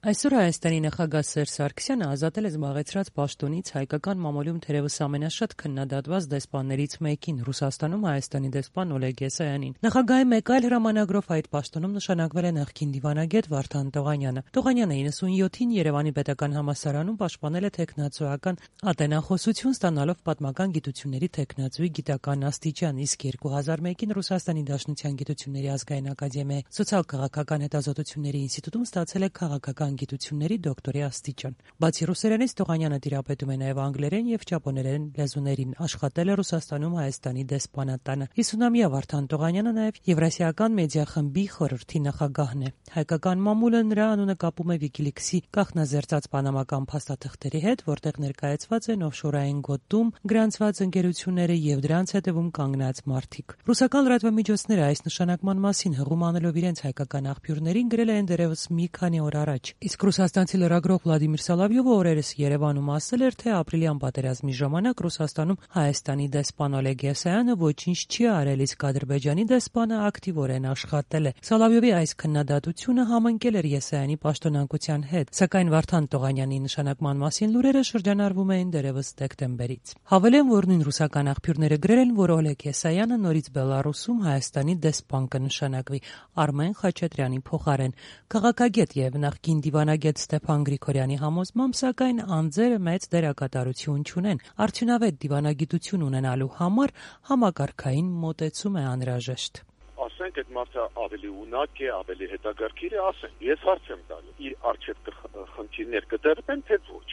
Այսօր Հայաստանի նախագահ Սերժ Սարգսյանը ազատել է զբաղեցրած պաշտոնից հայկական մամուլում թերևս ամենաշատ քննադատված դեսպաններից մեկին՝ Ռուսաստանում Հայաստանի դեսպան Օլեգ Եսայանին։ Նախագահի մեկ այլ հրամանագրով այդ պաշտոնում նշանակվել է նախկին դիվանագետ Վարդան Տողանյանը։ Տողանյանը 97-ին Երևանի պետական համալսարանում պաշտպանել է թեկնածուական ատենախոսություն, ստանալով պատմական գիտությունների թեկնածուի գիտական աստիճան, իսկ 2001-ին Ռուսաստանի Դաշնության գիտությունների ազգային ակադեմիայի սոցիալ-քաղաքական հետազոտությունների ինստիտուտում ստացել է քաղաքական գիտությունների դոկտորի աստիճան։ Բացի ռուսերենից, Տողանյանը տիրապետում է նաև անգլերեն եւ ճապոներեն լեզուներին, աշխատել է Ռուսաստանում Հայաստանի դեսպանատանը։ 50-ամյա Վարդան Տողանյանը նաև Եվրասիական մեդիա խմբի խորհրդի նախագահն է։ Հայկական մամուլը նրա անունը կապում է Wikileaks-ի կանխնազերծած պանամական փաստաթղթերի հետ, որտեղ ներկայացված են օֆշորային գոտում գրանցված ընկերությունները եւ դրանց հետևում կանգնած մարդիկ։ Ռուսական լրատվամիջոցները այս նշանակման մասին հղում անելով իրենց հայկական աղբյուրներին գրել են դեռևս մի քանի օր առաջ։ Իսկ ռուսաստանցի լրագրող Վլադիմիր Սոլովյովը օրերս Երևանում ասել էր, թե ապրիլյան պատերազմի ժամանակ Ռուսաստանում Հայաստանի դեսպան Օլեգ Եսայանը ոչինչ չի արել, իսկ Ադրբեջանի դեսպանը ակտիվորեն աշխատել է։ Սոլովյովի այս քննադատությունը համընկել էր Եսայանի պաշտոնանկության հետ, սակայն Վարդան Տողանյանի նշանակման մասին լուրերը շրջանառվում էին դեռևս դեկտեմբերից։ Հավելեմ, որ նույն ռուսական աղբյուրները գրել են, որ Օլեգ Եսայանը նորից Բելարուսում Հայաստանի դեսպան կնշանակվի Արմեն Խաչատրյանի փոխարեն։ Քաղաքագետ եւ նախկին դիվանագետ Ստեփան Գրիգորյանի համոզմամբ, սակայն անձերը մեծ դերակատարություն չունեն։ Արդյունավետ դիվանագիտություն ունենալու համար համակարգային մոտեցում է անհրաժեշտ։ Ասենք այդ մարդը ավելի ունակ է, ավելի հետաքրքիր է, ասենք։ Ես հարց եմ տալու, իր արժեք խնդիրներ կդրվեն, թե ոչ։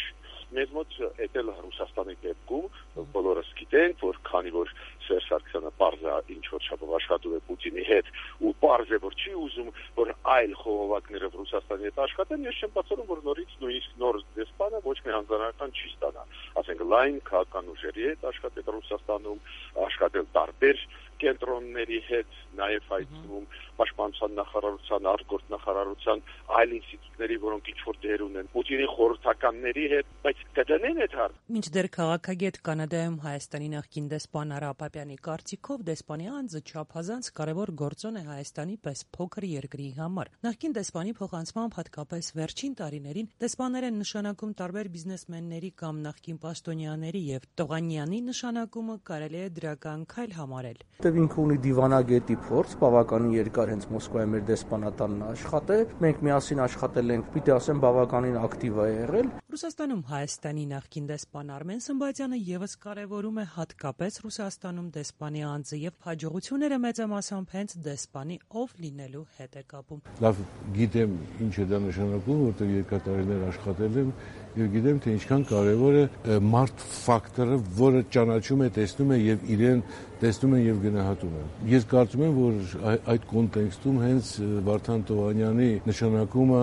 Մեզ մոտ եկել Ռուսաստանի դեպքում բոլորս գիտենք, որ քանի որ Սերժ Սարգսյանը պարզ է ինչ որ չափով աշխատում է Պուտինի հետ ու պարզ է որ չի ուզում որ այլ խողովակներով Ռուսաստանի հետ աշխատեն, ես չեմ բացառում որ նորից նույնիսկ նոր դեսպանը ոչ մի հանձնարարական չի ստանա, ասենք լայն քաղաքական ուժերի հետ աշխատել Ռուսաստանում, աշխատել տարբեր կենտրոնների հետ, նաև հայցնում պաշտպանության նախարարության, արտգործ նախարարության, այլ ինստիտուտների, որոնք ինչ-որ դեր ունեն, Պուտինի խորհրդականների հետ, բայց կդնեն այդ հարցը։ Մինչդեռ քաղաքագետ Կանադայում Հայաստանի նախկին դեսպան Արա Ապապյանի կարծիքով դեսպանի անձը չափազանց կարևոր գործոն է Հայաստանի պես փոքր երկրի համար։ Նախկին դեսպանի փոխանցմամբ հատկապես վերջին տարիներին դեսպաններ են նշանակում տարբեր բիզնեսմենների կամ նախկին պաշտոնյաների եւ Տողանյանի նշանակումը կարելի է դրական քայլ համարել։ Ինքը ունի դիվանագետի փորձ, բավականին երկար հենց Մոսկվայի մեր դեսպանատանն աշխատել, մենք միասին աշխատել ենք, պիտի ասեմ, բավականին ակտիվ է եղել։ Ռուսաստանում Հայաստանի նախկին դեսպան Արմեն Սմբատյանը եւս կարևորում է հատկապես Ռուսաստանում դեսպանի անձը եւ հաջողությունները մեծամասամբ հենց դեսպանի ով լինելու հետ է կապում։ Լավ գիտեմ ինչ է դա նշանակում, որտեղ երկար տարիներ աշխատել եմ եւ գիտեմ թե ինչքան կարեւոր է մարդ ֆակտորը, որը ճանաչում է, տեսնում է եւ իրեն տեսնում են եւ գնահատում են։ Ես կարծում եմ, որ այդ կոնտեքստում հենց Վարդան Տողանյանի նշանակումը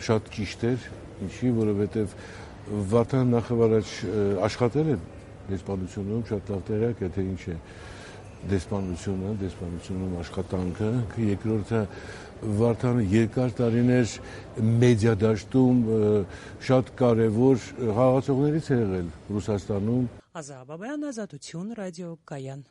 շատ ճիշտ էր, ինչի, որովհետեւ Վարդան նախավարաչ աշխատել է դեսպանությունում, շատ լավ տեղյակ է թե ինչ է դեսպանությունում աշխատանքը, երկրորդը Վարդանը երկար տարիներ մեդիա դաշտում շատ կարևոր խաղացողներից է եղել Ռուսաստանում։ Ազատ Բաբայան, Ազատություն, ռադիո Կայան։